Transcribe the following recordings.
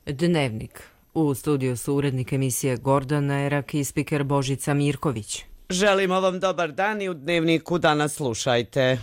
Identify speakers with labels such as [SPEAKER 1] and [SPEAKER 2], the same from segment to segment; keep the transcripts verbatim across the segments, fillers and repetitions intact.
[SPEAKER 1] Dnevnik. U studiju su urednik emisije Gordana Erak i spiker Božica Mirković.
[SPEAKER 2] Želimo vam dobar dan i u Dnevniku danas slušajte.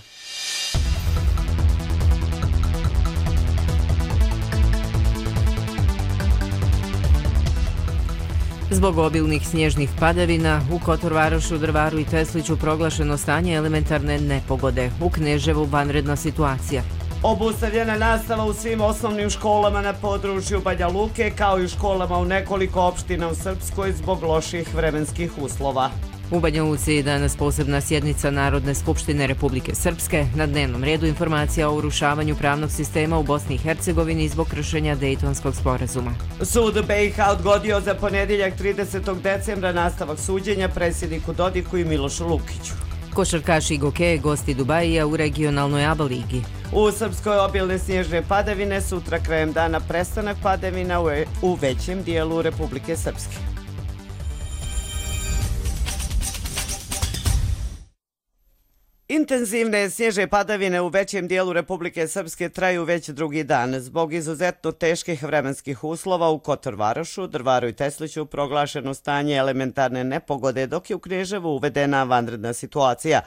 [SPEAKER 1] Zbog obilnih snježnih padavina u Kotorvarošu, Drvaru i Tesliću proglašeno stanje elementarne nepogode. U Kneževu vanredna situacija.
[SPEAKER 2] Obustavljena nastava u svim osnovnim školama na području Banja Luke, kao i u školama u nekoliko opština u Srpskoj zbog loših vremenskih uslova.
[SPEAKER 1] U Banja Luci je danas posebna sjednica Narodne skupštine Republike Srpske. Na dnevnom redu informacija o urušavanju pravnog sistema u Bosni i Hercegovini zbog kršenja Dejtonskog sporazuma.
[SPEAKER 2] Sud B i H odgodio za ponedjeljak tridesetog decembra nastavak suđenja predsjedniku Dodiku i Milošu Lukiću.
[SPEAKER 1] Košarkaši Gokeje gosti Dubajija u regionalnoj A B A ligi.
[SPEAKER 2] U Srpskoj obilne snježne padavine, sutra krajem dana prestanak padavina u većem dijelu Republike Srpske. Intenzivne snježne padavine u većem dijelu Republike Srpske traju već drugi dan. Zbog izuzetno teških vremenskih uslova u Kotorvarošu, Drvaru i Tesliću proglašeno stanje elementarne nepogode, dok je u Kneževu uvedena vanredna situacija.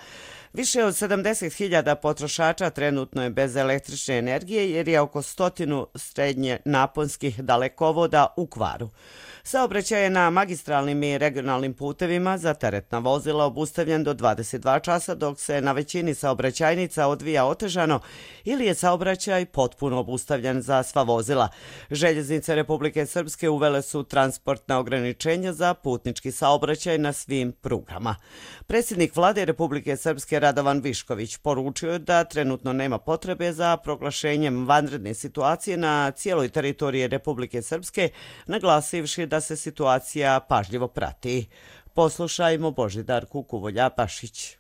[SPEAKER 2] Više od sedamdeset hiljada potrošača trenutno je bez električne energije jer je oko stotinu srednje naponskih dalekovoda u kvaru. Saobraćaj je na magistralnim i regionalnim putevima za teretna vozila obustavljen do dvadeset dva časa, dok se na većini saobraćajnica odvija otežano ili je saobraćaj potpuno obustavljen za sva vozila. Željeznice Republike Srpske uvele su transportna ograničenja za putnički saobraćaj na svim prugama. Predsjednik Vlade Republike Srpske Radovan Višković poručio je da trenutno nema potrebe za proglašenjem vanredne situacije na cijeloj teritoriji Republike Srpske, naglasivši da se situacija pažljivo prati. Poslušajmo Božidarku Kuvolja-Pašić.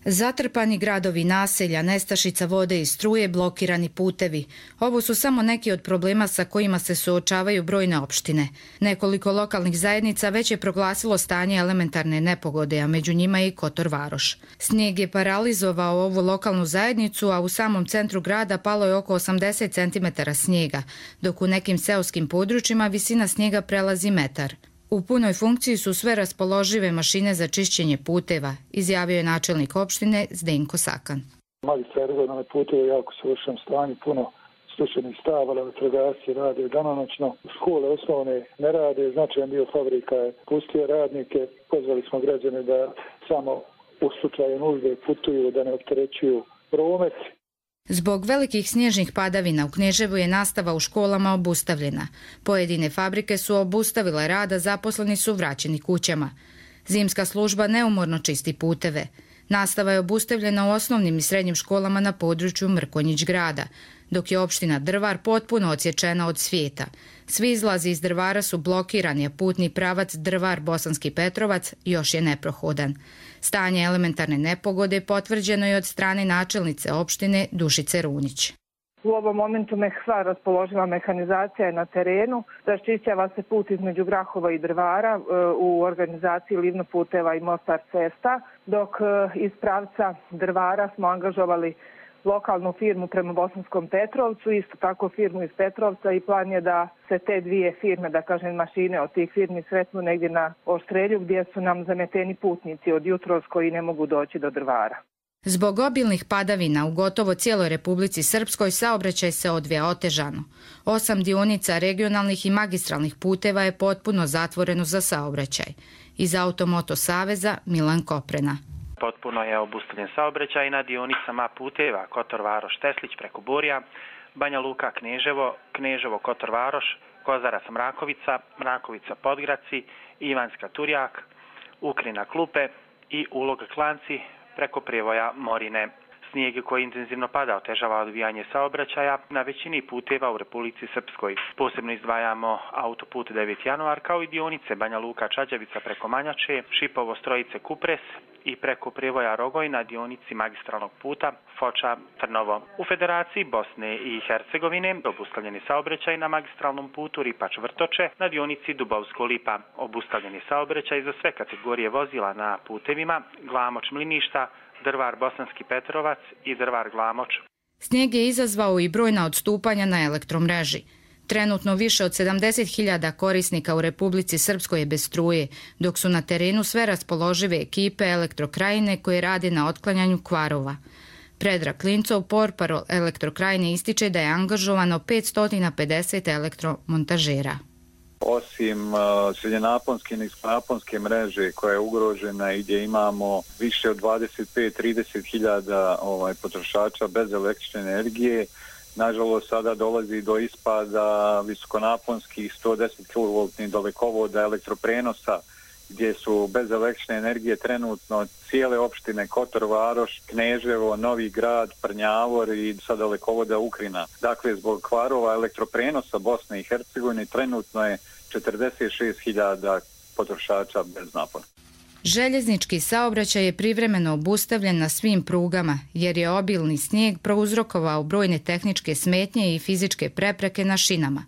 [SPEAKER 3] Zatrpani gradovi, naselja, nestašica vode i struje, blokirani putevi. Ovo su samo neki od problema sa kojima se suočavaju brojne opštine. Nekoliko lokalnih zajednica već je proglasilo stanje elementarne nepogode, a među njima i Kotorvaroš. Snijeg je paralizovao ovu lokalnu zajednicu, a u samom centru grada palo je oko osamdeset centimetara snijega, dok u nekim seoskim područjima visina snijega prelazi metar. U punoj funkciji su sve raspoložive mašine za čišćenje puteva, izjavio je načelnik opštine Zdenko Sakan.
[SPEAKER 4] Magistra regionalne puteve jako su u lošem stanju, puno slučajnih stavala, vatrogasci rade danonoćno, škole osnovne ne rade, značajan dio fabrika je pustio radnike, pozvali smo građane da samo u slučaju nužde putuju, da ne opterećuju promet.
[SPEAKER 3] Zbog velikih snježnih padavina u Kneževu je nastava u školama obustavljena. Pojedine fabrike su obustavile rad, a zaposleni su vraćeni kućama. Zimska služba neumorno čisti puteve. Nastava je obustavljena u osnovnim i srednjim školama na području Mrkonjić grada, dok je opština Drvar potpuno odsječena od svijeta. Svi izlazi iz Drvara su blokirani, a putni pravac Drvar-Bosanski Petrovac još je neprohodan. Stanje elementarne nepogode potvrđeno je od strane načelnice opštine Dušice Runić.
[SPEAKER 5] U ovom momentu sva raspoloživa mehanizacija je na terenu, raščišćava se put između Grahova i Drvara u organizaciji Livno puteva i Mostar cesta, dok iz pravca Drvara smo angažovali lokalnu firmu prema Bosanskom Petrovcu, isto tako firmu iz Petrovca, i plan je da se te dvije firme, da kažem mašine od tih firmi, sretnu negdje na Oštrelju gdje su nam zameteni putnici od jutros koji ne mogu doći do Drvara.
[SPEAKER 3] Zbog obilnih padavina u gotovo cijeloj Republici Srpskoj saobraćaj se odvija otežano. Osam dionica regionalnih i magistralnih puteva je potpuno zatvoreno za saobraćaj. Iz Automoto Saveza Milan Koprena.
[SPEAKER 6] Potpuno je obustavljen saobraćaj na dionicama puteva Kotorvaroš Teslić preko Burja, Banja Luka Kneževo, Kneževo Kotorvaroš, Kozarac Mrakovica, Mrakovica Podgraci, Ivanska Turjak, Ukrina Klupe i Ulog Klanci preko Prijevoja Morine. Snijeg koji intenzivno pada otežava odvijanje saobraćaja na većini puteva u Republici Srpskoj. Posebno izdvajamo autoput deveti januar kao i dionice Banja Luka Čađavica preko Manjače, Šipovo Strojice Kupres i preko Prijevoja Rogoj na dionici magistralnog puta Foča Trnovo. U Federaciji Bosne i Hercegovine obustavljeni saobraćaj na magistralnom putu Ripač Vrtoče na dionici Dubovsko Lipa. Obustavljeni saobraćaj za sve kategorije vozila na putevima Glamoč Mliništa, Drvar Bosanski Petrovac i Drvar Glamoč.
[SPEAKER 3] Snijeg je izazvao i brojna odstupanja na elektromreži. Trenutno više od sedamdeset hiljada korisnika u Republici Srpskoj je bez struje, dok su na terenu sve raspoložive ekipe Elektrokrajine koje rade na otklanjanju kvarova. Predrag Klincov, portparol Elektrokrajine, ističe da je angažovano petsto pedeset elektromontažera.
[SPEAKER 7] Osim uh, srednjenaponske i niskonaponske mreže koja je ugrožena i gdje imamo više od dvadeset pet do trideset hiljada ovaj, potrošača bez električne energije, nažalost sada dolazi do ispada visokonaponskih sto deset kilovoltnih dalekovoda elektroprenosa gdje su bez električne energije trenutno cijele opštine Kotor Varoš, Kneževo, Novi Grad, Prnjavor i sad dalekovoda Ukrina. Dakle, zbog kvarova elektroprenosa Bosne i Hercegovine trenutno je četrdeset šest hiljada potrošača bez napona.
[SPEAKER 3] Željeznički saobraćaj je privremeno obustavljen na svim prugama jer je obilni snijeg prouzrokovao brojne tehničke smetnje i fizičke prepreke na šinama.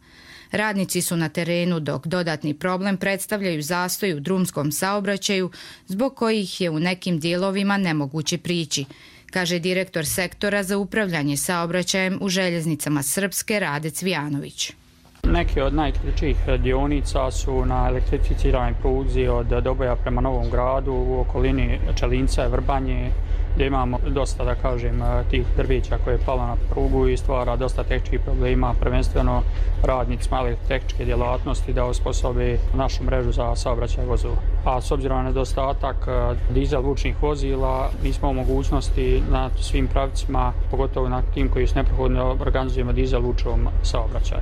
[SPEAKER 3] Radnici su na terenu dok dodatni problem predstavljaju zastoj u drumskom saobraćaju zbog kojih je u nekim dijelovima nemoguće prići, kaže direktor sektora za upravljanje saobraćajem u željeznicama Srpske Rade Cvijanović.
[SPEAKER 8] Neke od najkraćih dionica su na elektrificiranoj pruzi od Doboja prema Novom Gradu u okolini Čelinca i Vrbanje, gdje imamo dosta, da kažem, tih drveća koje je palo na prugu i stvara dosta tehničkih problema, prvenstveno radnicima elektrotehničke djelatnosti da osposobe našu mrežu za saobraćaj vozova. A s obzirom na nedostatak dizel vučnih vozila, nismo u mogućnosti na svim pravcima, pogotovo na tim koji su neprohodno, organizujemo dizel vučnom saobraćaju.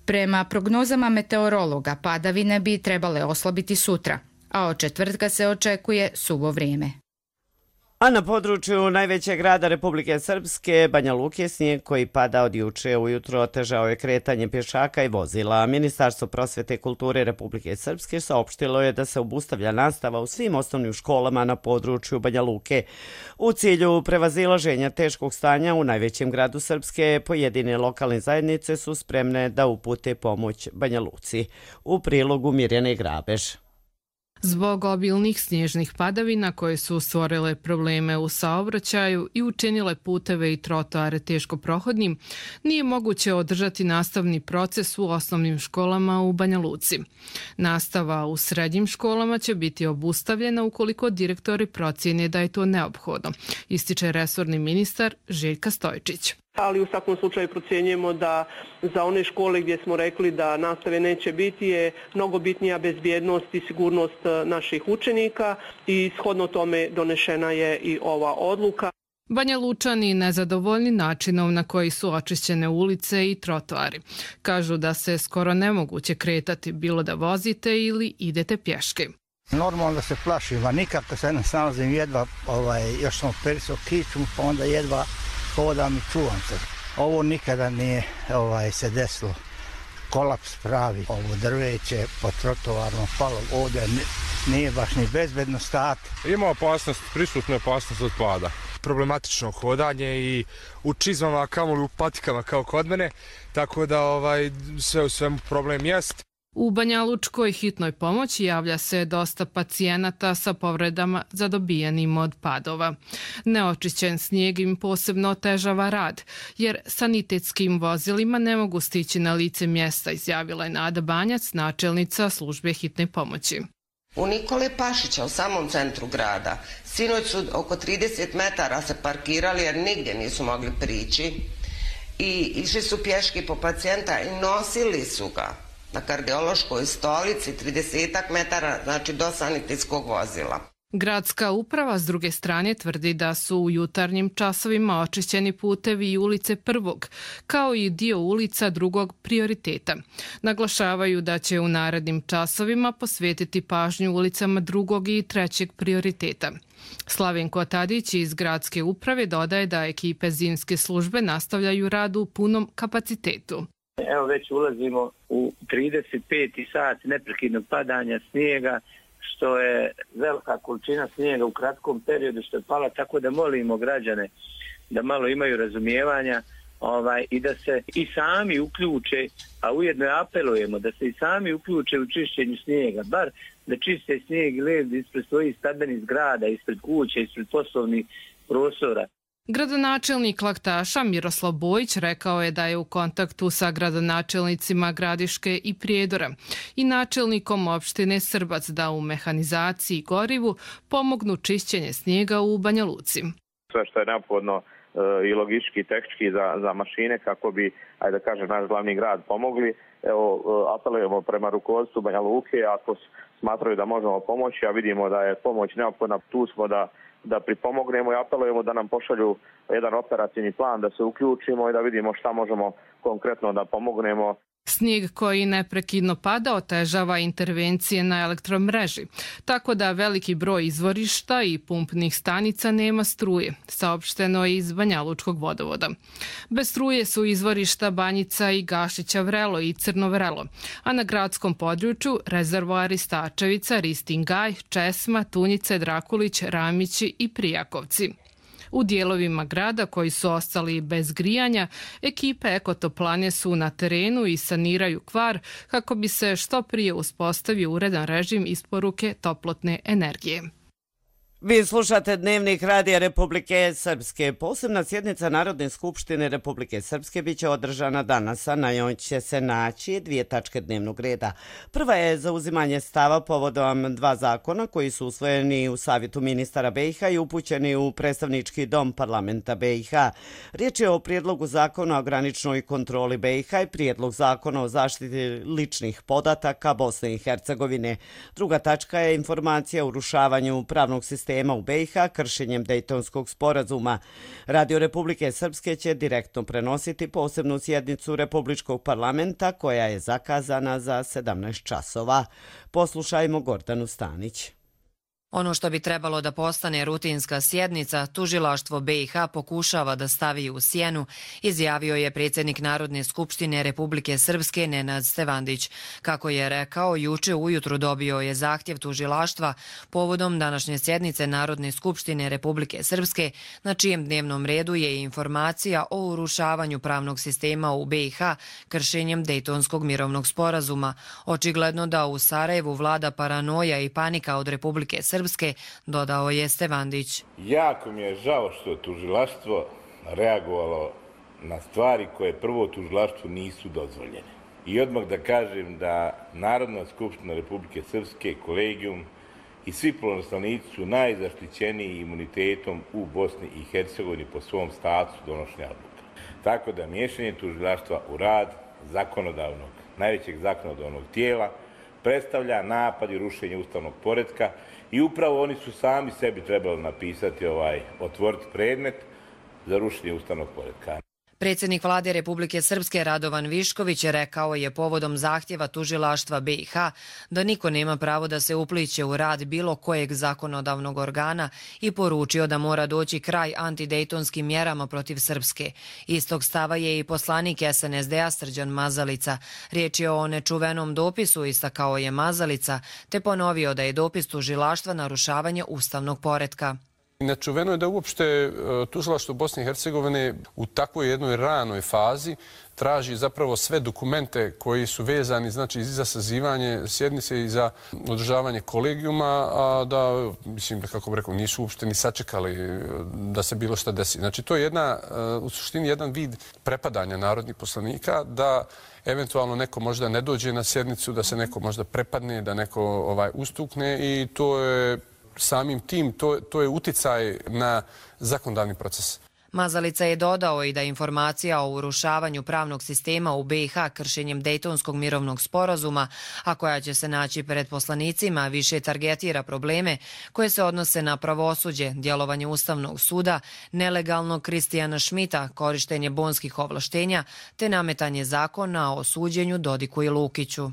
[SPEAKER 3] Prema prognozama meteorologa, padavine bi trebale oslabiti sutra, a od četvrtka se očekuje suvo vrijeme.
[SPEAKER 2] A na području najvećeg grada Republike Srpske, Banja Luke, snijeg koji pada od juče ujutro otežao je kretanje pješaka i vozila. Ministarstvo prosvete i kulture Republike Srpske saopštilo je da se obustavlja nastava u svim osnovnim školama na području Banja Luke. U cilju prevazilaženja teškog stanja u najvećem gradu Srpske, pojedine lokalne zajednice su spremne da upute pomoć Banja Luci. U prilogu Mirjane Grabež.
[SPEAKER 9] Zbog obilnih snježnih padavina koje su stvorile probleme u saobraćaju i učinile puteve i trotoare teško prohodnim, nije moguće održati nastavni proces u osnovnim školama u Banja Luci. Nastava u srednjim školama će biti obustavljena ukoliko direktori procijene da je to neophodno, ističe resorni ministar Željka Stojčić.
[SPEAKER 10] Ali u svakom slučaju procjenjujemo da za one škole gdje smo rekli da nastave neće biti je mnogo bitnija bezbjednost i sigurnost naših učenika i shodno tome donešena je i ova odluka.
[SPEAKER 9] Banja Lučani nezadovoljni načinom na koji su očišćene ulice i trotoari. Kažu da se skoro nemoguće kretati bilo da vozite ili idete pješke.
[SPEAKER 11] Normalno da se plašim, a nikako se ne snalazim jedva, ovaj, još sam perisao kiču, pa onda jedva hodam i čuvam se. Ovo nikada nije ovaj, se desilo. Kolaps pravi. Ovo drveće po trotoarno palo. Ovdje nije baš ni bezbedno stati.
[SPEAKER 12] Ima opasnost, prisutna opasnost od pada. Problematično hodanje i u čizmama, kamoli u patikama kao kod mene, tako da ovaj, sve u svemu problem jest.
[SPEAKER 9] U Banja Lučkoj hitnoj pomoći javlja se dosta pacijenata sa povredama zadobijenim od padova. Neočišćen snijeg im posebno otežava rad, jer sanitetskim vozilima ne mogu stići na lice mjesta, izjavila je Nada Banjac, načelnica službe hitne pomoći.
[SPEAKER 13] U Nikole Pašića, u samom centru grada, sinoć su oko trideset metara se parkirali jer nigdje nisu mogli prići i išli su pješki po pacijenta i nosili su ga na kardiološkoj stolici trideset metara, znači do sanitetskog vozila.
[SPEAKER 9] Gradska uprava s druge strane tvrdi da su u jutarnjim časovima očišćeni putevi i ulice prvog, kao i dio ulica drugog prioriteta. Naglašavaju da će u narednim časovima posvetiti pažnju ulicama drugog i trećeg prioriteta. Slavenko Tadić iz gradske uprave dodaje da ekipe zimske službe nastavljaju rad u punom kapacitetu.
[SPEAKER 14] Evo već ulazimo u trideset peti sat neprekidnog padanja snijega, što je velika količina snijega u kratkom periodu što je pala, tako da molimo građane da malo imaju razumijevanja ovaj, i da se i sami uključe, a ujedno apelujemo da se i sami uključe u čišćenju snijega, bar da čiste snijeg i led ispred svojih stambenih zgrada, ispred kuće, ispred poslovnih prostora.
[SPEAKER 9] Gradonačelnik Laktaša Miroslav Bojić rekao je da je u kontaktu sa gradonačelnicima Gradiške i Prijedora i načelnikom opštine Srbac da u mehanizaciji i gorivu pomognu čišćenje snijega u Banja Luci.
[SPEAKER 15] Sve što je neophodno i logistički i tehnički za, za mašine kako bi, ajde da kažem, naš glavni grad pomogli. Evo, apelujemo prema rukovodstvu Banja Luke, ako smatraju da možemo pomoći, a vidimo da je pomoć neophodna, tu smo da da pripomognemo i apelujemo da nam pošalju jedan operativni plan, da se uključimo i da vidimo šta možemo konkretno da pomognemo.
[SPEAKER 9] Snijeg koji neprekidno pada otežava intervencije na elektromreži, tako da veliki broj izvorišta i pumpnih stanica nema struje, saopšteno je iz Banjalučkog vodovoda. Bez struje su izvorišta Banjica i Gašića Vrelo i Crno Vrelo, a na gradskom području rezervoari Stačevica, Ristingaj, Česma, Tunjice, Drakulić, Ramići i Prijakovci. U dijelovima grada koji su ostali bez grijanja, ekipe Ekotoplane su na terenu i saniraju kvar kako bi se što prije uspostavio uredan režim isporuke toplotne energije.
[SPEAKER 2] Vi slušate Dnevnik Radija Republike Srpske. Posebna sjednica Narodne skupštine Republike Srpske biće održana danas, a na njoj će se naći dvije tačke dnevnog reda. Prva je zauzimanje stava povodom dva zakona koji su usvojeni u Savjetu ministara B i H i upućeni u predstavnički dom parlamenta B i H. Riječ je o prijedlogu zakona o graničnoj kontroli B i H i prijedlog zakona o zaštiti ličnih podataka Bosne i Hercegovine. Druga tačka je informacija o urušavanju pravnog sistema u B i H kršenjem Dejtonskog sporazuma. Radio Republike Srpske će direktno prenositi posebnu sjednicu Republičkog parlamenta koja je zakazana za sedamnaest časova. Poslušajmo Gordanu Stanić.
[SPEAKER 16] Ono što bi trebalo da postane rutinska sjednica, tužilaštvo B i H pokušava da stavi u sjenu, izjavio je predsjednik Narodne skupštine Republike Srpske Nenad Stevandić. Kako je rekao, juče ujutru dobio je zahtjev tužilaštva povodom današnje sjednice Narodne skupštine Republike Srpske, na čijem dnevnom redu je informacija o urušavanju pravnog sistema u B i H kršenjem Dejtonskog mirovnog sporazuma. Očigledno da u Sarajevu vlada paranoja i panika od Republike Srpske, dodao je Stevandić.
[SPEAKER 17] Jako mi je žao što je tužilaštvo reagovalo na stvari koje prvo tužilaštvu nisu dozvoljene. I odmah da kažem da Narodna skupština Republike Srpske, kolegijum i svi poslanici su najzaštićeniji imunitetom u Bosni i Hercegovini po svom statusu donošenja odluka. Tako da miješanje tužilaštva u rad zakonodavnog, najvećeg zakonodavnog tijela predstavlja napad i rušenje ustavnog poretka i upravo oni su sami sebi trebali napisati, ovaj, otvoriti predmet za rušenje ustavnog poretka.
[SPEAKER 16] Predsjednik vlade Republike Srpske Radovan Višković rekao je povodom zahtjeva tužilaštva B i H da niko nema pravo da se upliće u rad bilo kojeg zakonodavnog organa i poručio da mora doći kraj antidejtonskim mjerama protiv Srpske. Istog stava je i poslanik S N S D-a Srđan Mazalica. Riječ je o nečuvenom dopisu, istakao je Mazalica, te ponovio da je dopis tužilaštva narušavanje ustavnog poretka.
[SPEAKER 18] Nečuveno je da uopšte tužilaštvo Bosne i Hercegovine u takvoj jednoj ranoj fazi traži zapravo sve dokumente koji su vezani, znači, i za sazivanje sjednice i za održavanje kolegijuma, a da, mislim, da kako bih rekao, nisu uopšte ni sačekali da se bilo šta desi. Znači, to je jedna, u suštini jedan vid prepadanja narodnih poslanika, da eventualno neko možda ne dođe na sjednicu, da se neko možda prepadne, da neko ovaj, ustukne i to je samim tim, to, to je uticaj na zakonodavni proces.
[SPEAKER 16] Mazalica je dodao i da informacija o urušavanju pravnog sistema u B i H kršenjem Dejtonskog mirovnog sporazuma, a koja će se naći pred poslanicima, više targetira probleme koje se odnose na pravosuđe, djelovanje Ustavnog suda, nelegalnog Kristijana Šmita, korištenje bonskih ovlaštenja, te nametanje zakona o suđenju Dodiku i Lukiću.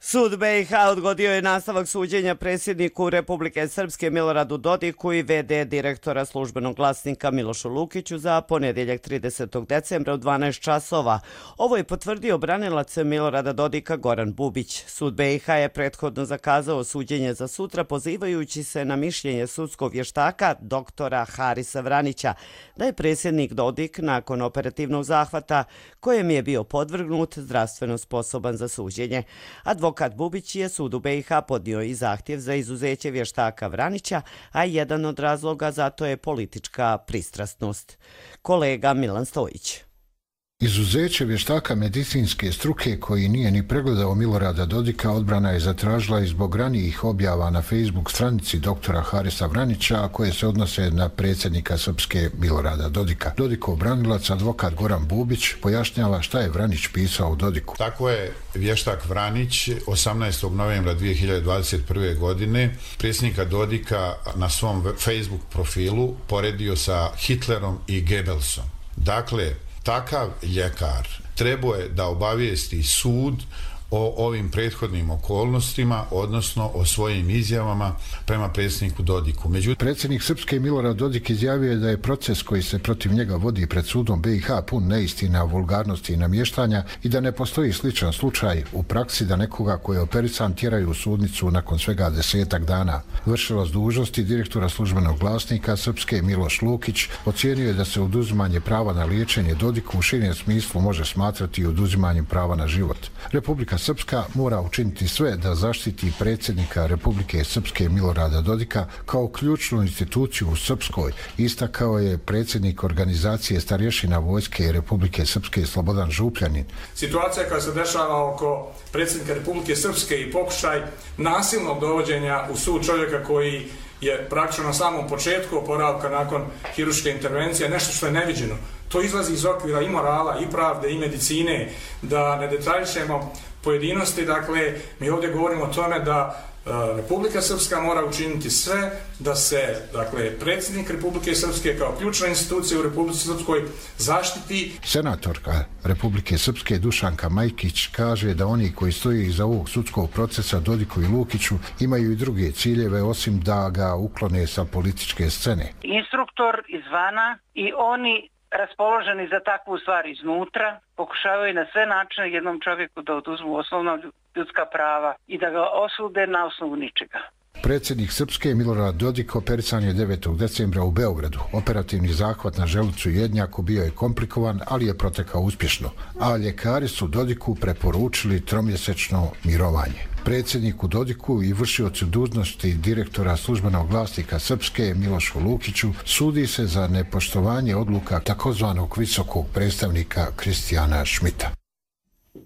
[SPEAKER 2] Sud B i H odgodio je nastavak suđenja predsjedniku Republike Srpske Miloradu Dodiku i V D direktora službenog glasnika Milošu Lukiću za ponedjeljak tridesetog decembra u dvanaest časova. Ovo je potvrdio branilac Milorada Dodika Goran Bubić. Sud B i H je prethodno zakazao suđenje za sutra pozivajući se na mišljenje sudskog vještaka doktora Harisa Vranića da je predsjednik Dodik nakon operativnog zahvata kojem je bio podvrgnut zdravstveno sposoban za suđenje. Advokat Advokat Bubić je sudu B i H podnio i zahtjev za izuzeće vještaka Vranića, a jedan od razloga za to je politička pristrasnost. Kolega Milan Stojić.
[SPEAKER 19] Izuzeće vještaka medicinske struke koji nije ni pregledao Milorada Dodika odbrana je zatražila i zbog ranijih objava na Facebook stranici doktora Harisa Vranića koje se odnose na predsjednika Srpske Milorada Dodika. Dodikov branilac, advokat Goran Bubić, pojašnjava šta je Vranić pisao u Dodiku.
[SPEAKER 20] Tako je vještak Vranić osamnaestog novembra dvije hiljade dvadeset prve. godine predsjednika Dodika na svom Facebook profilu poredio sa Hitlerom i Goebbelsom. Dakle, takav ljekar trebao je da obavijesti sud o ovim prethodnim okolnostima, odnosno o svojim izjavama prema predsjedniku Dodiku.
[SPEAKER 19] Međutim, predsjednik Srpske Milorad Dodik izjavio je da je proces koji se protiv njega vodi pred sudom B i H pun neistina, vulgarnosti i namještanja i da ne postoji sličan slučaj u praksi da nekoga koji je operisan tjeraju u sudnicu nakon svega desetak dana. Vršilac dužnosti direktora službenog glasnika Srpske Miloš Lukić ocijenio je da se oduzimanje prava na liječenje Dodiku u širem smislu može smatrati i oduzimanjem prava na život. Republika Srpska mora učiniti sve da zaštiti predsjednika Republike Srpske Milorada Dodika kao ključnu instituciju u Srpskoj, istakao je predsjednik organizacije starješina Vojske Republike Srpske Slobodan Župljanin.
[SPEAKER 21] Situacija koja se dešava oko predsjednika Republike Srpske i pokušaj nasilnog dovođenja u sud čovjeka koji je praktično na samom početku oporavka nakon hirurške intervencije, nešto što je neviđeno. To izlazi iz okvira i morala, i pravde, i medicine, da ne detaljišemo pojedinosti. Dakle, mi ovdje govorimo o tome da Republika Srpska mora učiniti sve da se, dakle, predsjednik Republike Srpske kao ključna institucija u Republici Srpskoj zaštiti.
[SPEAKER 19] Senatorka Republike Srpske Dušanka Majkić kaže da oni koji stoji iza ovog sudskog procesa Dodiku i Lukiću imaju i druge ciljeve osim da ga uklone sa političke scene.
[SPEAKER 22] Instruktor izvana i oni raspoloženi za takvu stvar iznutra pokušavaju na sve načine jednom čovjeku da oduzmu osnovna ljudska prava i da ga osude na osnovu ničega.
[SPEAKER 19] Predsjednik Srpske Milorad Dodik operisan je devetog decembra u Beogradu. Operativni zahvat na želucu i jednjaku bio je komplikovan, ali je protekao uspješno, a ljekari su Dodiku preporučili tromjesečno mirovanje. Predsjedniku Dodiku i vršiocu dužnosti direktora službenog glasnika Srpske Milošu Lukiću sudi se za nepoštovanje odluka takozvanog visokog predstavnika Kristijana Šmita.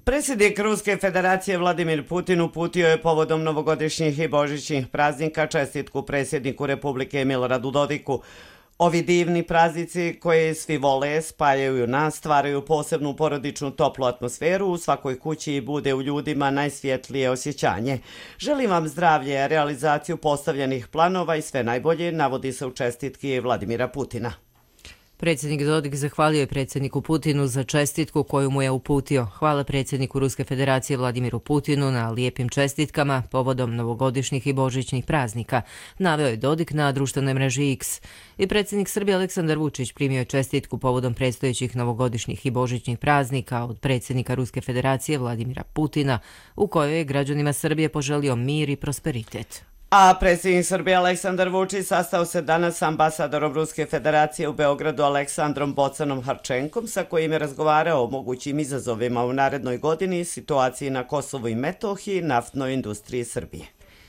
[SPEAKER 2] Predsjednik Ruske federacije Vladimir Putin uputio je povodom novogodišnjih i božićnih praznika čestitku predsjedniku Republike Miloradu Dodiku. Ovi divni praznici koje svi vole spajaju nas, stvaraju posebnu porodičnu toplu atmosferu u svakoj kući i bude u ljudima najsvjetlije osjećanje. Želim vam zdravlje, realizaciju postavljenih planova i sve najbolje, navodi se u čestitki Vladimira Putina.
[SPEAKER 1] Predsjednik Dodik zahvalio je predsjedniku Putinu za čestitku koju mu je uputio. Hvala predsjedniku Ruske federacije Vladimiru Putinu na lijepim čestitkama povodom novogodišnjih i božićnih praznika, naveo je Dodik na društvenoj mreži X. I predsjednik Srbije Aleksandar Vučić primio je čestitku povodom predstojećih novogodišnjih i božićnih praznika od predsjednika Ruske federacije Vladimira Putina, u kojoj je građanima Srbije poželio mir i prosperitet.
[SPEAKER 2] A predsjednik Srbije Aleksandar Vučić sastao se danas s ambasadorom Ruske federacije u Beogradu Aleksandrom Bocanom Harčenkom, sa kojim je razgovarao o mogućim izazovima u narednoj godini, situaciji na Kosovu i Metohiji, naftnoj industriji Srbije.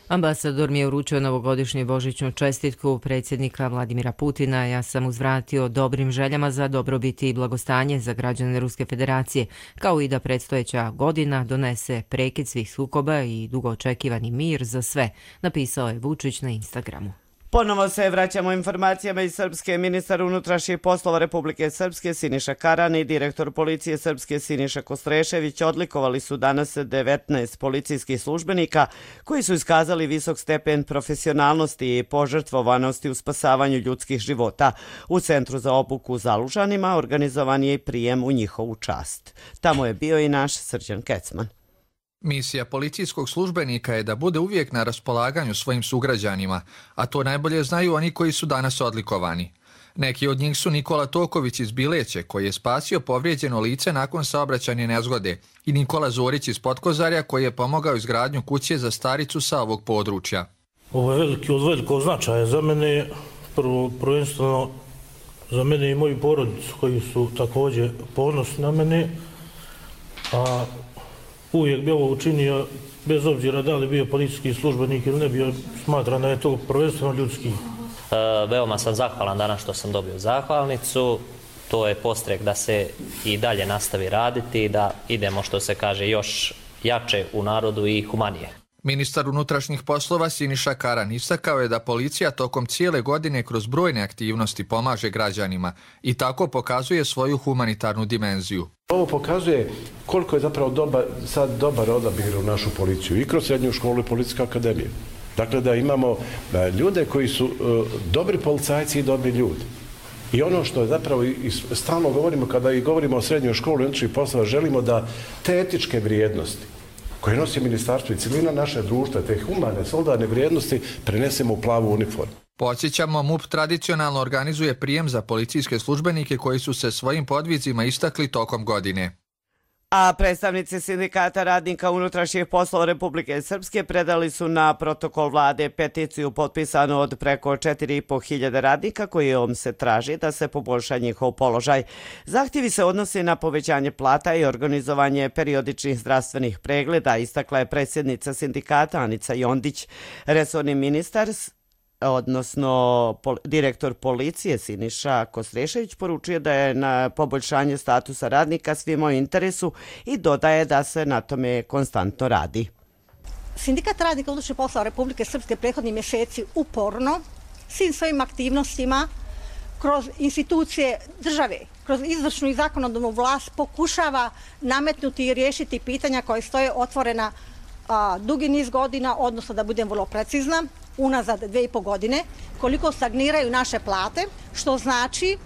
[SPEAKER 1] Ambasador mi je uručio novogodišnju božićnu čestitku predsjednika Vladimira Putina. Ja sam uzvratio dobrim željama za dobrobit i blagostanje za građane Ruske federacije, kao i da predstojeća godina donese prekid svih sukoba i dugo očekivani mir za sve, napisao je Vučić na Instagramu.
[SPEAKER 2] Ponovo se vraćamo informacijama iz Srpske. Ministar unutrašnjih poslova Republike Srpske Siniša Karan i direktor policije Srpske Siniša Kostrešević odlikovali su danas devetnaest policijskih službenika koji su iskazali visok stepen profesionalnosti i požrtvovanosti u spasavanju ljudskih života. U Centru za obuku u Zalužanima organizovan je i prijem u njihovu čast. Tamo je bio i naš Srđan Kecman.
[SPEAKER 23] Misija policijskog službenika je da bude uvijek na raspolaganju svojim sugrađanima, a to najbolje znaju oni koji su danas odlikovani. Neki od njih su Nikola Toković iz Bileće, koji je spasio povrijeđeno lice nakon saobraćajne nezgode, i Nikola Zorić iz Potkozarja, koji je pomogao izgradnju kuće za staricu sa ovog područja.
[SPEAKER 24] Ovo je veliki od velikog značaja za mene, prvo prvenstveno za mene i moju porodicu koji su također ponosni na mene, a uvijek bi ovo učinio bez obzira da li bio policijski službenik ili ne bio, smatram da je to prvenstveno ljudski.
[SPEAKER 4] E, veoma sam zahvalan danas što sam dobio zahvalnicu. To je podstrek da se i dalje nastavi raditi i da idemo, što se kaže, još jače u narodu i humanije.
[SPEAKER 23] Ministar unutrašnjih poslova Siniša Karan istakao je da policija tokom cijele godine kroz brojne aktivnosti pomaže građanima i tako pokazuje svoju humanitarnu dimenziju.
[SPEAKER 5] Ovo pokazuje koliko je zapravo dobar, sad dobar odabir u našu policiju i kroz srednju školu i policijsku akademiju. Dakle, da imamo ljude koji su uh, dobri policajci i dobri ljudi. I ono što je zapravo i stalno govorimo kada i govorimo o srednjoj školi i unutrašnjih poslova, želimo da te etičke vrijednosti koje nosi ministarstvo i cilina naše društva, te humane, soldane vrijednosti prenesemo u plavu uniformu.
[SPEAKER 23] Podsjećamo, MUP tradicionalno organizuje prijem za policijske službenike koji su se svojim podvizima istakli tokom godine.
[SPEAKER 2] A predstavnici sindikata radnika unutrašnjih poslova Republike Srpske predali su na protokol vlade peticiju potpisanu od preko četiri i po hiljade radnika kojom se traži da se poboljša njihov položaj. Zahtjevi se odnose na povećanje plata i organizovanje periodičnih zdravstvenih pregleda, istakla je predsjednica sindikata Anica Jondić. Resorni ministar odnosno pol, direktor policije Siniša Kostrešević poručuje da je na poboljšanje statusa radnika svima u interesu i dodaje da se na tome konstantno radi.
[SPEAKER 6] Sindikat radnika unutrašnjih poslova Republike Srpske prethodnih mjeseci uporno svim svojim aktivnostima kroz institucije države, kroz izvršnu i zakonodavnu vlast pokušava nametnuti i riješiti pitanja koje stoje otvorena a, dugi niz godina, odnosno da budem vrlo precizna, unazad dve i po godine, koliko stagniraju naše plate, što znači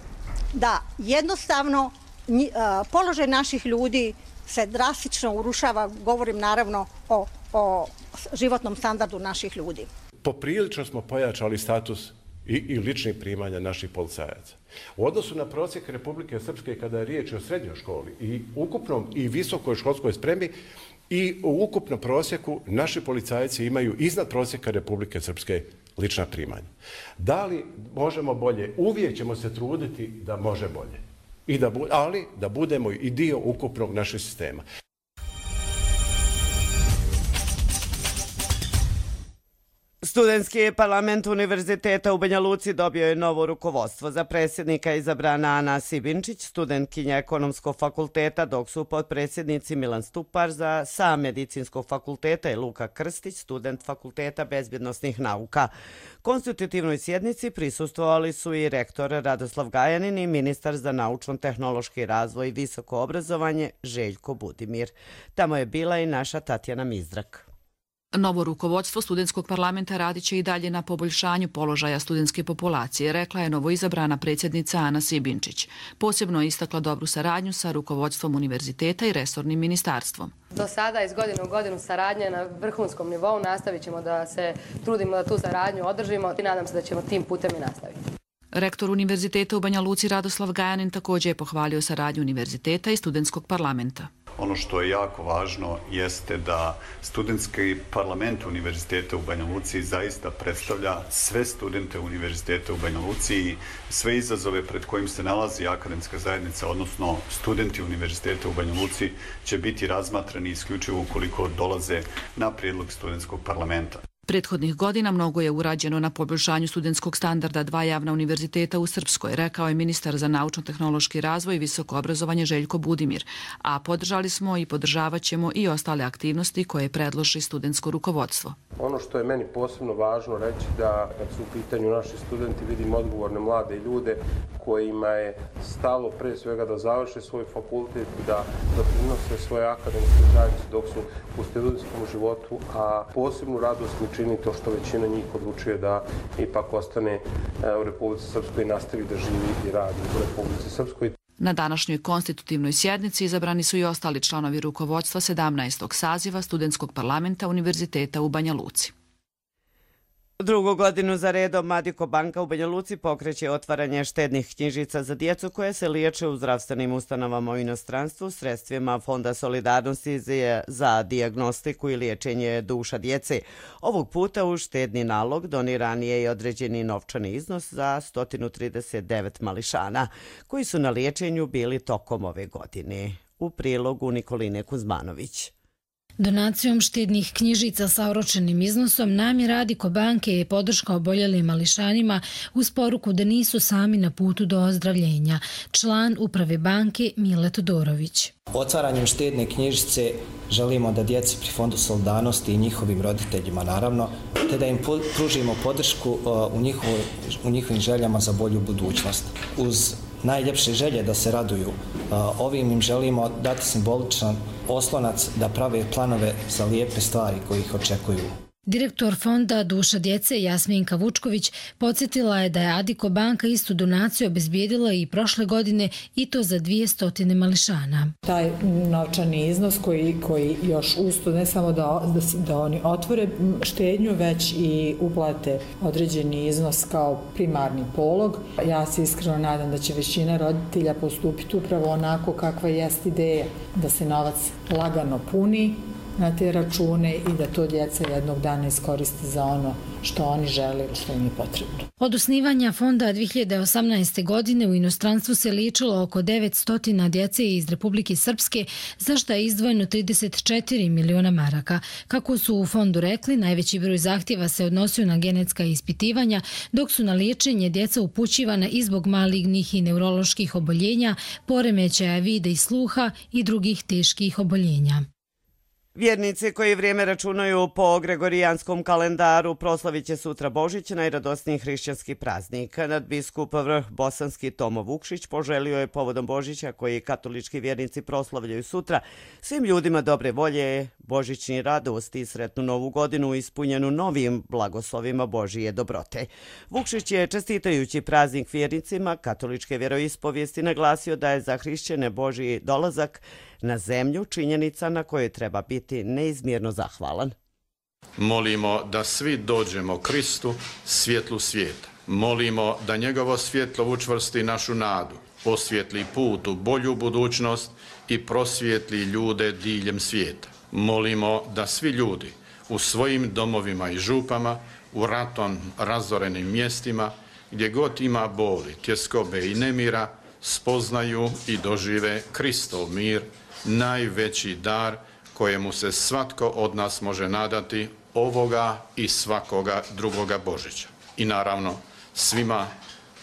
[SPEAKER 6] da jednostavno nji, a, položaj naših ljudi se drastično urušava, govorim naravno o, o životnom standardu naših ljudi.
[SPEAKER 5] Poprilično smo pojačali status i, i ličnih primanja naših policajaca. U odnosu na prosjek Republike Srpske kada je riječ o srednjoj školi i ukupnom i visokoj školskoj spremi i u ukupnom prosjeku naši policajci imaju iznad prosjeka Republike Srpske lična primanja. Da li možemo bolje? Uvijek ćemo se truditi da može bolje. I da, ali da budemo i dio ukupnog našeg sistema.
[SPEAKER 2] Studentski parlament Univerziteta u Banja Luci dobio je novo rukovodstvo. Za predsjednika izabrana Ana Sibinčić, studentkinja Ekonomskog fakulteta, dok su potpredsjednici Milan Stupar za sa Medicinskog fakulteta i Luka Krstić, student Fakulteta bezbjednosnih nauka. Konstitutivnoj sjednici prisustvovali su i rektor Radoslav Gajanin i ministar za naučno-tehnološki razvoj i visoko obrazovanje Željko Budimir. Tamo je bila i naša Tatjana Mizdrak.
[SPEAKER 7] Novo rukovodstvo studentskog parlamenta radit će i dalje na poboljšanju položaja studentske populacije, rekla je novoizabrana predsjednica Ana Sibinčić. Posebno je istakla dobru saradnju sa rukovodstvom univerziteta i resornim ministarstvom.
[SPEAKER 25] Do sada iz godine u godinu saradnje na vrhunskom nivou, nastavit ćemo da se trudimo da tu saradnju održimo i nadam se da ćemo tim putem i nastaviti.
[SPEAKER 7] Rektor Univerziteta u Banja Luci Radoslav Gajanin također je pohvalio saradnju univerziteta i studentskog parlamenta.
[SPEAKER 26] Ono što je jako važno jeste da studentski parlament Univerziteta u Banja Luci zaista predstavlja sve studente Univerziteta u Banja Luci i sve izazove pred kojim se nalazi akademska zajednica, odnosno studenti Univerziteta u Banja Luci, će biti razmatrani isključivo ukoliko dolaze na prijedlog studentskog parlamenta.
[SPEAKER 7] Prethodnih godina mnogo je urađeno na poboljšanju studentskog standarda dva javna univerziteta u Srpskoj, rekao je ministar za naučno-tehnološki razvoj i visoko obrazovanje Željko Budimir, a podržali smo i podržavat ćemo i ostale aktivnosti koje predloži studentsko rukovodstvo.
[SPEAKER 27] Ono što je meni posebno važno reći da kad su u pitanju naši studenti vidim odgovorne mlade ljude kojima je stalo pre svega da završe svoj fakultet i da doprinose svoje akademske zajednice dok su u studentskom životu, a posebnu radost mi čini to što većina njih odlučuje da ipak ostane u Republici Srpskoj i nastavi da živi i radi u Republici Srpskoj.
[SPEAKER 7] Na današnjoj konstitutivnoj sjednici izabrani su i ostali članovi rukovodstva sedamnaestog saziva studentskog parlamenta Univerziteta u Banja Luci.
[SPEAKER 2] Drugu godinu za redom Madiko banka u Banja Luci pokreće otvaranje štednih knjižica za djecu koje se liječe u zdravstvenim ustanovama u inostranstvu sredstvima Fonda solidarnosti za dijagnostiku i liječenje duša djece. Ovog puta u štedni nalog doniran je i određeni novčani iznos za sto trideset devet mališana koji su na liječenju bili tokom ove godine. U prilogu Nikoline Kuzmanović.
[SPEAKER 3] Donacijom štednih knjižica sa oročenim iznosom namjera Adiko banke je podrška oboljelim mališanima uz poruku da nisu sami na putu do ozdravljenja. Član uprave banke Mile Todorović.
[SPEAKER 8] Otvaranjem štedne knjižice želimo da djeci pri Fondu solidarnosti i njihovim roditeljima naravno, te da im pružimo podršku u, njihovo, u njihovim željama za bolju budućnost. Uz najljepše želje da se raduju, ovim im želimo dati simboličan oslonac da prave planove za lijepe stvari koji ih očekuju.
[SPEAKER 3] Direktor fonda Duša djece Jasminka Vučković podsjetila je da je Adiko banka istu donaciju obezbijedila i prošle godine i to za dvjesto mališana.
[SPEAKER 10] Taj novčani iznos koji, koji još usto ne samo da, da, da oni otvore štednju, već i uplate određeni iznos kao primarni polog. Ja se iskreno nadam da će većina roditelja postupiti upravo onako kakva jest ideja, da se novac lagano puni na te račune i da to djeca jednog dana iskoriste za ono što oni žele ili što im je potrebno.
[SPEAKER 3] Od osnivanja fonda dvije hiljade osamnaeste. godine u inostranstvu se liječilo oko devetsto djece iz Republike Srpske, za što je izdvojeno trideset četiri miliona maraka. Kako su u fondu rekli, najveći broj zahtjeva se odnosio na genetska ispitivanja, dok su na liječenje djeca upućivana i zbog malignih i neuroloških oboljenja, poremećaja vida i sluha i drugih teških oboljenja.
[SPEAKER 2] Vjernici koji vrijeme računaju po gregorijanskom kalendaru proslavit će sutra Božić, najradosniji hrišćanski praznik. Nadbiskup vrh bosanski Tomo Vukšić poželio je povodom Božića koji katolički vjernici proslavljaju sutra svim ljudima dobre volje, božićni radosti i sretnu novu godinu ispunjenu novim blagoslovima Božije dobrote. Vukšić je čestitajući praznik vjernicima katoličke vjeroispovijesti naglasio da je za hrišćane Božji dolazak na zemlju činjenica na kojoj treba biti neizmjerno zahvalan.
[SPEAKER 11] Molimo da svi dođemo Kristu, svjetlu svijeta. Molimo da njegovo svjetlo učvrsti našu nadu, osvijetli put u bolju budućnost i prosvijetli ljude diljem svijeta. Molimo da svi ljudi u svojim domovima i župama, u ratom razorenim mjestima, gdje god ima boli, tjeskobe i nemira, spoznaju i dožive Kristov mir, najveći dar kojemu se svatko od nas može nadati ovoga i svakoga drugoga Božića. I naravno svima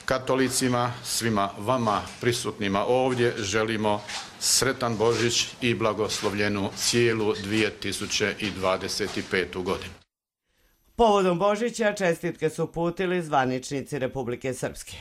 [SPEAKER 11] katolicima, svima vama prisutnima ovdje želimo sretan Božić i blagoslovljenu cijelu dvije tisuće dvadeset petu. godinu.
[SPEAKER 2] Povodom Božića čestitke su uputili zvaničnici Republike Srpske.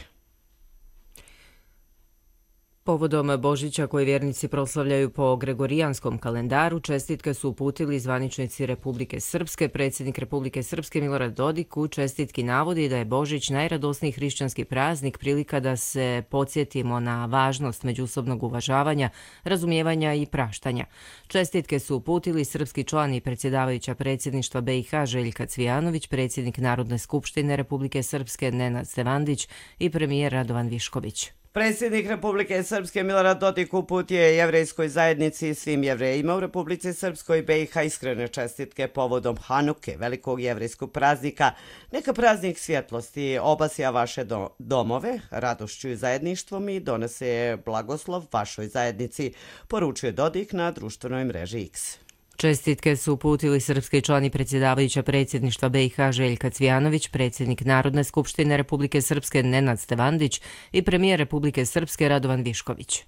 [SPEAKER 1] Povodom Božića koji vjernici proslavljaju po gregorijanskom kalendaru, čestitke su uputili zvaničnici Republike Srpske. Predsjednik Republike Srpske Milorad Dodik u čestitki navodi da je Božić najradosniji hrišćanski praznik, prilika da se podsjetimo na važnost međusobnog uvažavanja, razumijevanja i praštanja. Čestitke su uputili srpski član i predsjedavajuća predsjedništva B i H Željka Cvijanović, predsjednik Narodne skupštine Republike Srpske Nenad Stevandić i premijer Radovan Višković.
[SPEAKER 2] Predsjednik Republike Srpske Milorad Dodik uputio je jevrejskoj zajednici i svim jevrejima u Republici Srpskoj i B i H iskrene čestitke povodom Hanuke, velikog jevrejskog praznika. Neka praznik svjetlosti obasja vaše do domove, radošću i zajedništvom i donese blagoslov vašoj zajednici, poručuje Dodik na društvenoj mreži X.
[SPEAKER 1] Čestitke su uputili srpski član i predsjedavajuća predsjedništva B i H Željka Cvijanović, predsjednik Narodne skupštine Republike Srpske Nenad Stevandić i premijer Republike Srpske Radovan Višković.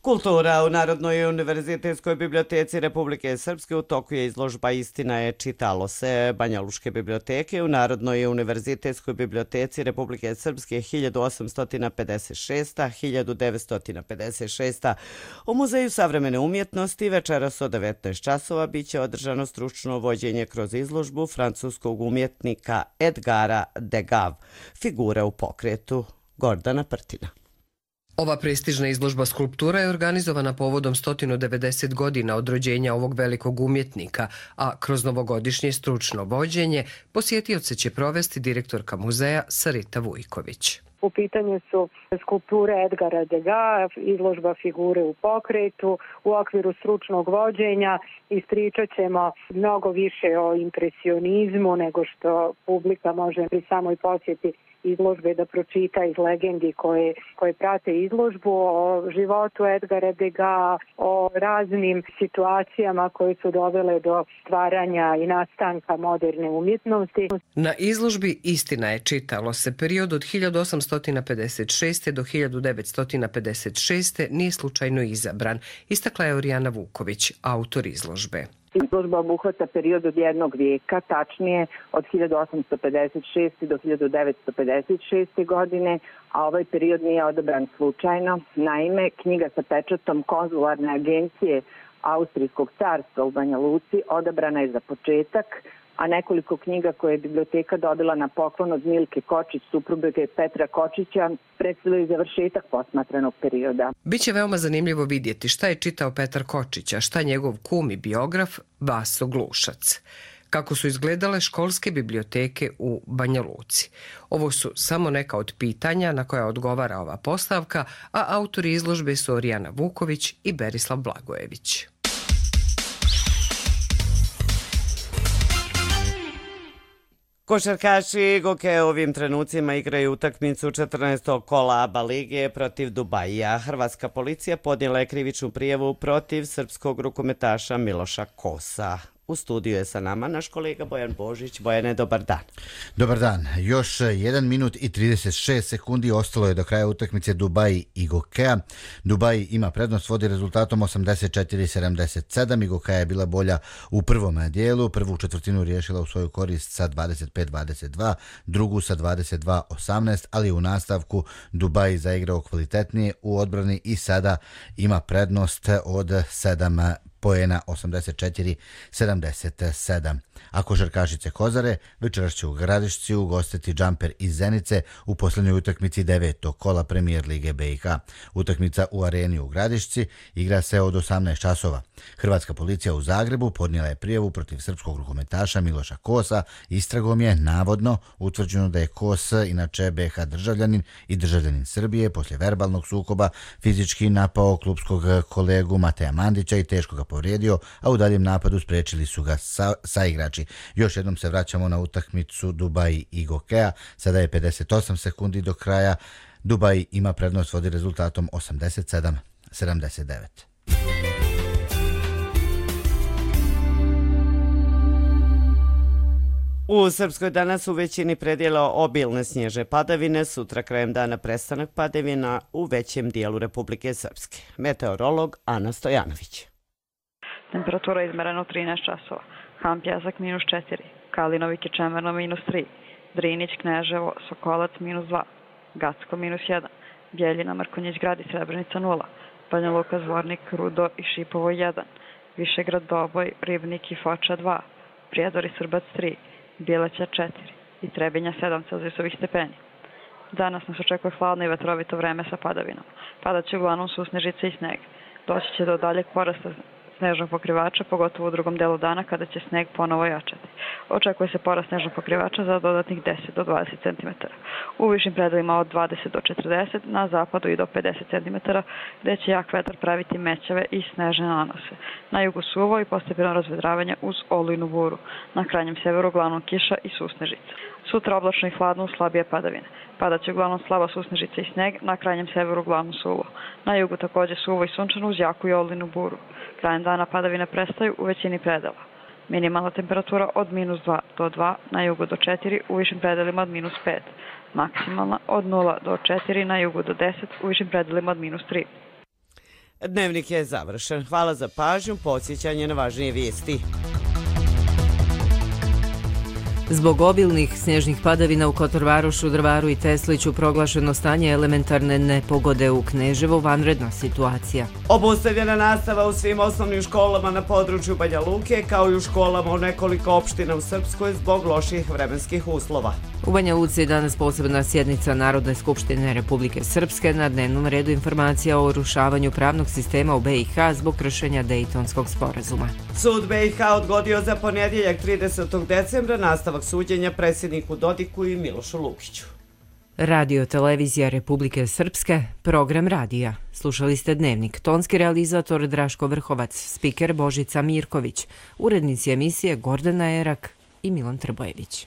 [SPEAKER 2] Kultura u Narodnoj univerzitetskoj biblioteci Republike Srpske u toku je izložba Istina je čitalo se Banja Lučke biblioteke u Narodnoj univerzitetskoj biblioteci Republike Srpske hiljadu osamsto pedeset šeste do hiljadu devetsto pedeset šeste. U Muzeju savremene umjetnosti večeras od devetnaest časova biće održano stručno vođenje kroz izložbu francuskog umjetnika Edgara Degas, Figure u pokretu, Gordana Prtina.
[SPEAKER 12] Ova prestižna izložba skulptura je organizovana povodom sto devedeset godina od rođenja ovog velikog umjetnika, a kroz novogodišnje stručno vođenje posjetioce će provesti direktorka muzeja Sarita Vujković.
[SPEAKER 13] U pitanju su skulpture Edgara Degas, izložba Figure u pokretu. U okviru stručnog vođenja ispričat ćemo mnogo više o impresionizmu nego što publika može pri samoj posjeti izložbe, da pročita iz legendi koje, koje prate izložbu o životu Edgara Degas, o raznim situacijama koje su dovele do stvaranja i nastanka moderne umjetnosti.
[SPEAKER 12] Na izložbi Istina je čitalo se period od hiljadu osamsto pedeset šeste. do hiljadu devetsto pedeset šeste. nije slučajno izabran, istakla je Orijana Vuković, autor izložbe.
[SPEAKER 9] Izložba obuhvata period od jednog vijeka, tačnije od hiljadu osamsto pedeset šeste. do hiljadu devetsto pedeset šeste. godine, a ovaj period nije odabran slučajno. Naime, knjiga sa pečatom konzularne agencije Austrijskog carstva u Banja Luci odabrana je za početak, a nekoliko knjiga koje je biblioteka dobila na poklon od Milke Kočić, supruge Petra Kočića, predstavljaju završetak posmatranog perioda.
[SPEAKER 12] Biće veoma zanimljivo vidjeti šta je čitao Petar Kočić, a šta njegov kum i biograf Vaso Glušac. Kako su izgledale školske biblioteke u Banja Luci. Ovo su samo neka od pitanja na koja odgovara ova postavka, a autori izložbe su Orijana Vuković i Berislav Blagojević.
[SPEAKER 2] Košarkaši Goke u ovim trenucima igraju utakmicu četrnaestog kola A B A lige protiv Dubajija. Hrvatska policija podnijela je krivičnu prijavu protiv srpskog rukometaša Miloša Kosa. U studiju je sa nama naš kolega Bojan Božić. Bojane, dobar dan.
[SPEAKER 14] Dobar dan. Još jedan minut i trideset šest sekundi ostalo je do kraja utakmice Dubai i Gokea. Dubai ima prednost, vodi rezultatom osamdeset četiri sedamdeset sedam i Gokea je bila bolja u prvom dijelu. Prvu četvrtinu riješila u svoju korist sa dvadeset pet dvadeset dva, drugu sa dvadeset dva osamnaest, ali u nastavku Dubai zaigrao kvalitetnije u odbrani i sada ima prednost od sedam poena, osamdeset četiri sedamdeset sedam. A košarkašice Kozare večeras će u Gradišci ugostiti Džamper iz Zenice u posljednjoj utakmici devetog kola Premijer lige B i H. Utakmica u areni u Gradišci igra se od osamnaest časova. Hrvatska policija u Zagrebu podnijela je prijavu protiv srpskog rukometaša Miloša Kosa. Istragom je navodno utvrđeno da je Kos, inače B i H državljanin i državljanin Srbije, poslije verbalnog sukoba fizički napao klubskog kolegu Mateja Mandića i teško ga povrijedio, a u daljem napadu spriječili su ga sa, saigrači. Još jednom se vraćamo na utakmicu Dubai i Gokea. Sada je pedeset osam sekundi do kraja. Dubai ima prednost, vodi rezultatom osamdeset sedam sedamdeset devet.
[SPEAKER 2] U Srpskoj danas u većini predjela obilne snježne padavine, sutra krajem dana prestanak padavina u većem dijelu Republike Srpske. Meteorolog Ana Stojanović.
[SPEAKER 15] Temperatura izmerena u trinaest časova. Han Pjesak minus četiri, Kalinovik i Čemerno minus tri, Drinić, Kneževo, Sokolac minus dva, Gacko minus jedan, Bjeljina, Mrkonjić grad i Srebrenica nula, Banja Luka, Zvornik, Rudo i Šipovo jedan, Višegrad, Doboj, Ribnik i Foča dva, Prijedor i Srbac tri, Bileća četiri i Trebinja sedam celzijusovih stepeni. Danas nas očekuje hladno i vetrovito vreme sa padavinom. Padat će uglavnom susnežice i sneg. Doći će do daljeg porasta snežnog pokrivača, pogotovo u drugom delu dana kada će sneg ponovo jačati. Očekuje se porast snežnog pokrivača za dodatnih deset do dvadeset centimetara. U višim predelima od dvadeset do četrdeset, na zapadu i do pedeset centimetara, gde će jak vetar praviti mećave i snežne nanose. Na jugu suvo i postepeno razvedravanje uz olujnu buru. Na krajnjem severu uglavnom kiša i susnežica. Sutra oblačno i hladno uz slabije padavine. Padat će uglavnom slaba susnežica i sneg, na krajnjem severu uglavnom suvo. Na jugu također suvo i sunčano uz jaku i olujnu buru. Krajem dana padavine prestaju u većini predela. Minimalna temperatura od minus dva do dva, na jugu do četiri, u višim predelima od minus pet. Maksimalna od nula do četiri, na jugu do deset, u višim predelima od minus tri.
[SPEAKER 2] Dnevnik je završen. Hvala za pažnju, podsjećanje na važnije vijesti.
[SPEAKER 1] Zbog obilnih snježnih padavina u Kotorvarošu, Drvaru i Tesliću proglašeno stanje elementarne nepogode u Kneževu, vanredna situacija.
[SPEAKER 2] Obustavljena nastava u svim osnovnim školama na području Banja Luke, kao i u školama u nekoliko opština u Srpskoj zbog loših vremenskih uslova.
[SPEAKER 1] U Banja Luci je danas posebna sjednica Narodne skupštine Republike Srpske, na dnevnom redu informacija o urušavanju pravnog sistema u B i H zbog kršenja Dejtonskog sporazuma.
[SPEAKER 2] Sud B i H odgodio za ponedjeljak tridesetog decembra nastavak suđenja predsjedniku Dodiku i Milošu Lukiću.
[SPEAKER 1] Radio Televizija Republike Srpske, program radija. Slušali ste Dnevnik. Tonski realizator Draško Vrhovac, spiker Božica Mirković, urednici emisije Gordana Erak i Milan Trbojević.